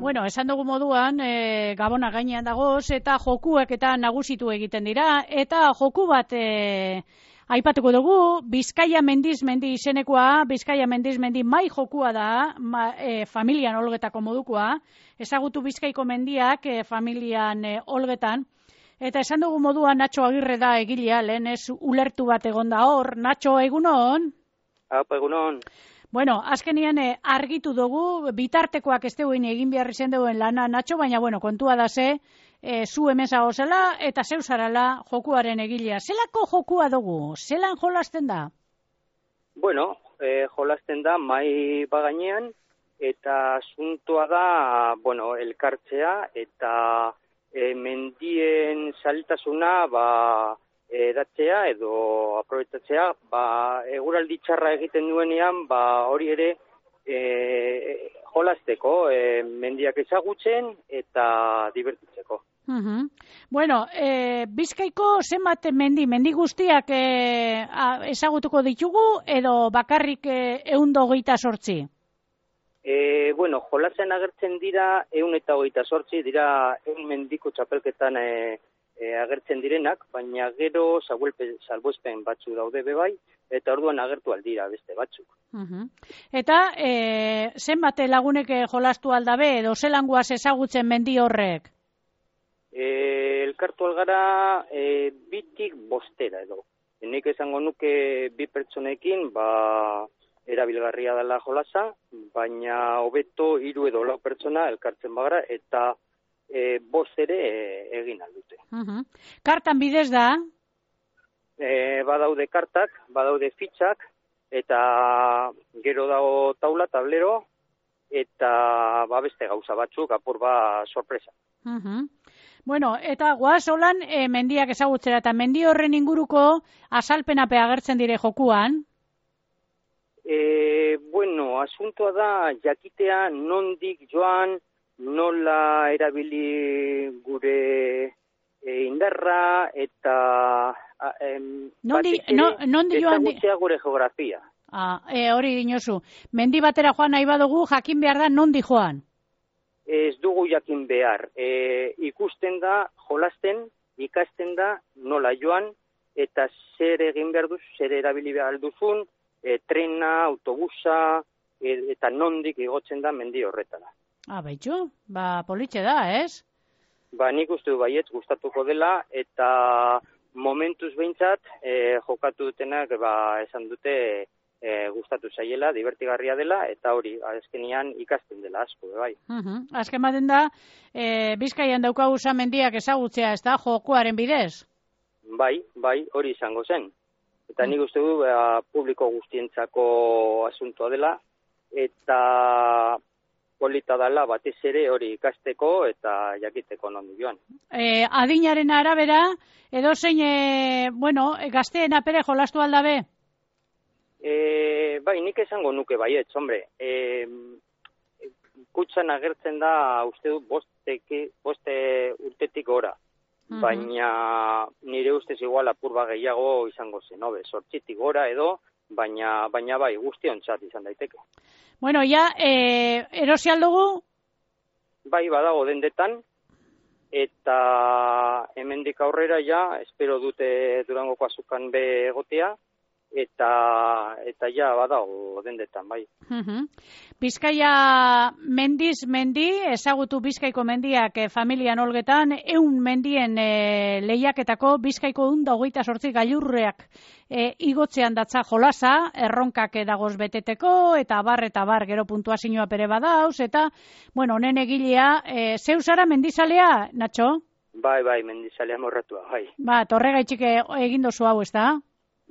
Bueno, esan dugu moduan, Gabona gainean dagoz, eta jokuak eta nagusitu egiten dira, eta joku bat aipatuko dugu, Bizkaia mendiz mendi izenekoa, Bizkaia mendiz mendi mai jokua da, familian olgetako modukoa, ezagutu Bizkaiko mendiak familian olgetan, eta esan dugu moduan Natxo Agirre da egilea, lehen ez ulertu bat egon da hor. Natxo, egunon? Apa, egunon. Bueno, azkenean argitu dugu, bitartekoak ez duen egin behar izan duen lana, Natxo, baina kontua da ze, zu hemen zagozela eta zeu zarala jokuaren egilea. Zelako jokua dugu? Zelan jolasten da? Bueno, jolasten da mai bagainean, eta asuntoa da, elkartzea, eta mendien saltasuna, edatzea edo aprobetzatzea, eguraldi txarra egiten duenean, hori ere jolasteko, mendiak ezagutzen eta divertitzeko. Bueno, Bizkaiko zenbat mendi guztiak ezagutuko ditugu edo bakarrik 128? Bueno, jolasean agertzen dira 128, dira 100 mendiko txapelketan agertzen direnak, baina gero salbuespen batzu daude bebai, eta orduan agertu aldira beste batzuk. Eta zenbat lagunek jolastu aldabe edo zelangoaz ezagutzen mendi horrek? Elkartu algara 2tik 5 edo. Nik esango nuke 2 pertsonekin, erabilgarria dela jolasa, baina hobeto 3 edo 4 pertsona elkartzen bagara, eta 5 ere egin aldute. Kartan bidez da? Badaude kartak, badaude fitxak, eta gero dago taula, tablero, eta beste gauza batzuk, apur sorpresa. Bueno, eta goaz holan mendiak ezagutzera, eta mendi horren inguruko azalpenape agertzen dire jokuan? Bueno, asuntoa da jakitea nondik joan, nola erabili gure indarra, eta ezagutzea gure geografia. Hori dinozu. Mendi batera joan nahi badugu, jakin behar da nondi joan? Ez dugu jakin behar. Ikusten da, jolasten, ikasten da, nola joan, eta zer egin behar duzu, zer erabili behar duzun, trena, autobusa, eta nondik igotzen da mendi horretara. Baitxu, politxe da, ez? Nik uste du baietz gustatuko dela, eta momentuz behintzat, jokatu dutenak esan dute gustatu zaiela, divertigarria dela, eta hori, azkenean ikasten dela asko, bai. Azken baten da, Bizkaian daukagu mendiak ezagutzea, ez da, jokoaren bidez? Bai, hori izango zen. Eta nik uste du publiko guztientzako asuntoa dela, eta polita dela batez ere hori ikasteko eta jakiteko nondi joan. Adinaren arabera, edo zein, gazteen apere jolastu aldabe? Bai, nik esango nuke baietz, hombre. Kutxan agertzen da, uste du, 5 urtetik gora. Baina nire ustez igual apur gehiago izango zen, 8tik gora edo, baina bai, guztiontzat izan daiteke. Bueno, erosi aldugu? Bai, badago dendetan, eta hemendik aurrera espero dute Durangoko azukan be egotea, eta badago dendetan, bai. Bizkaia mendiz mendi, ezagutu Bizkaiko mendiak familian olgetan, 100 mendien lehiaketako Bizkaiko 128 gailurreak igotzean datza jolasa, erronkak dagoz beteteko, eta bar, gero puntuazioa pere badauz, eta, honen egilea, zeu zara mendizalea, Natxo? Bai, mendizalea morratua, bai. Torregaitxik egin dozu hau, ez da?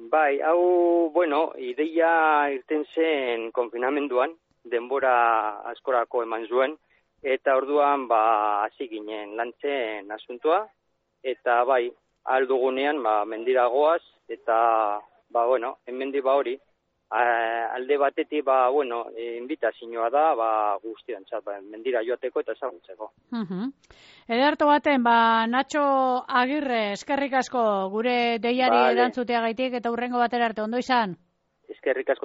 Bai, hau, ideia irten zen konfinamenduan, denbora askorako eman zuen, eta orduan, hasi ginen lantzen asuntoa, eta bai, aldugunean, mendira goaz, eta, hemendi hori, alde batetik, invitazioa da, guztiontzat, mendira joateko eta ezagutzeko. Ederto baten, Natxo Agirre, eskerrik asko gure deiari erantzuteagaitik eta hurrengo batera arte, ondo izan? Eskerrik asko.